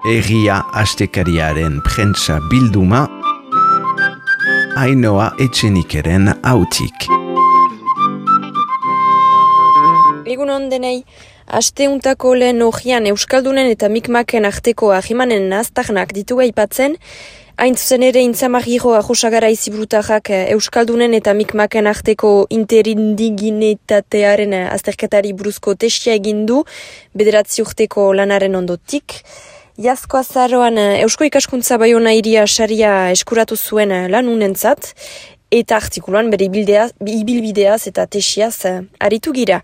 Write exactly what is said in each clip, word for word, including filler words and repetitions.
Egia astekariaren prentsa bilduma, Ainhoa Etxenikeren hautik. Egun ondenei, asteuntako lehen ogian Euskaldunen eta Mikmaken arteko ahimanen naztarnak ditugu aipatzen, hain zuzen ere intzamagiro ahosagara iziburutajak Euskaldunen eta Mikmaken arteko interindiginetatearen azterketari buruzko tesia egindu, bederatzi urteko lanaren ondotik. Iazko azaroan Eusko Ikaskuntza Baiona Hiria saria eskuratu zuen lanunentzat, eta artikuluan bere ibilbideaz eta tesiaz aritu gira.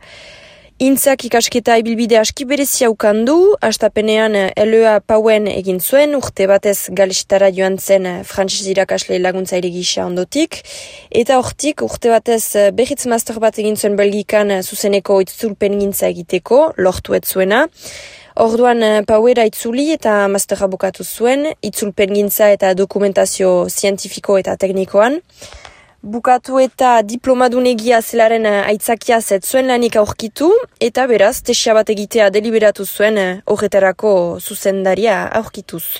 Intzak ikasketa ibilbide aski berezia ukandu, hastapenean L E A Pauen egin zuen, urte batez Galestara joan zen frantses irakasle laguntzaile gisa ondotik, eta hortik urte batez berriz master bat egin zuen Belgikan zuzeneko itzulpen gintza egiteko, lortu ez zuena. Orduan Pauera itzuli eta masterra bukatu zuen, itzulpen gintza eta dokumentazio zientifiko eta teknikoan. Bukatu eta diplomadunegia zelaren aitzakiaz ez zuen lanik aurkitu, eta beraz, tesia bat egitea deliberatu zuen horretarako zuzendaria aurkituz.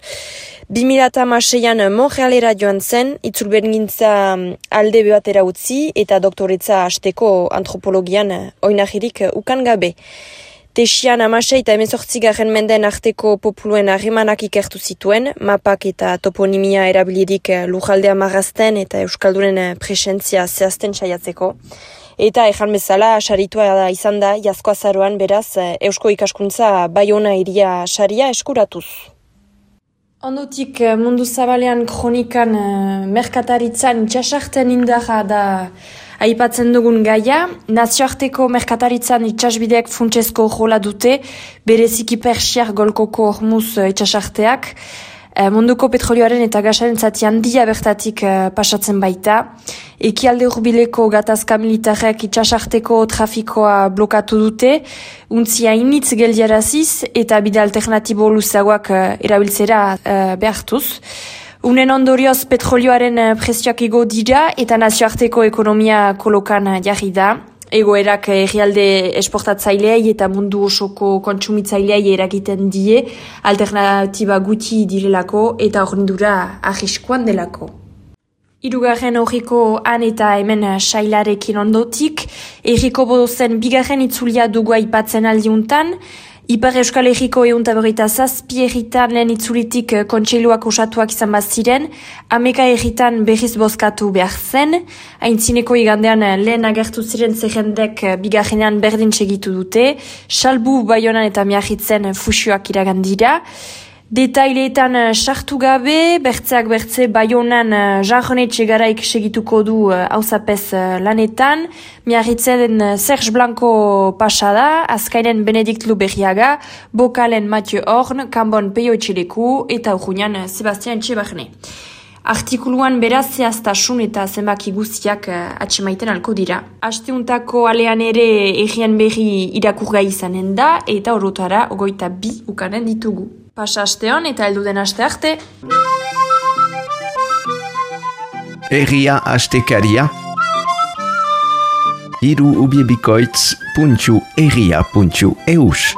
bi mila hamaseian Montrealera joan zen, itzulpen gintza alde batera utzi eta doktoretza hasteko antropologian oinahirik ukan gabe. Tesian hamasei eta hemezortzigarren menden arteko populuen harremanak ikertu zituen, mapak eta toponimia erabilirik lujaldea marrazten eta Euskaldunen presentzia zehazten saiatzeko. Eta ejan bezala, saritua izan da, iazko azaroan beraz, Eusko Ikaskuntza Baiona Hiria saria eskuratuz. Ondotik mundu zabalean kronikan merkataritzan itxasarten indarra da aipatzen dugun gaia, nazioarteko merkataritzan itxasbideak funtsezko jola dute, bereziki Persiar golkoko hormuz itxasarteak, munduko petrolioaren eta gasaren zati handia bertatik pasatzen baita. Ekialde hurbileko gatazka militarrek itxasarteko trafikoa blokatu dute, untzia initz geldiaraziz eta bide alternatibo luzagoak erabiltzera behartuz. Unen ondorioz petrolioaren prezioak igo dira eta nazioarteko ekonomia kolokan jarri da. Egoerak herrialde esportatzaileei eta mundu osoko kontsumitzaileei eragiten die, alternatiba gutxi direlako eta horrendura arriskuan delako. Hirugarren horriko han eta hemen sailarekin ondotik, herriko bodozen bigarren itzulia dugu aipatzen aldiuntan, Ipar Euskal Herriko ehunta berrogeita zazpi herritan lehen itzulitik kontseiluak osatuak izan baziren, hameka herritan berriz bozkatu behar zen, aintzineko igandean lehen agertu ziren zerrendek bigarrenean berdin segitu dute, Salbu, Baionan eta Miarritzen fusioak iragandira. Detaileetan sartu gabe, bertzeak bertze Baionan Jean-René Txegaraik segituko du hauzapez lanetan, Miarritzen Serge Blanco pasada, azkainen Benedikt Luberriaga, Bokalen Mathieu Horn, Kanbon Peio Etxeleku eta Urruñan Sebastian Etxebarne. Artikuluan beraz zehaztasun eta zenbaki guztiak atsemaiten alko dira. Asteuntako alean ere egian berri irakurgai izanen da eta orotara ogoita bi ukanen ditugu. Pasa asteon eta helduden aste arte. Egia astekaria, hiru ubiebikoitz puntu egia puntu eus.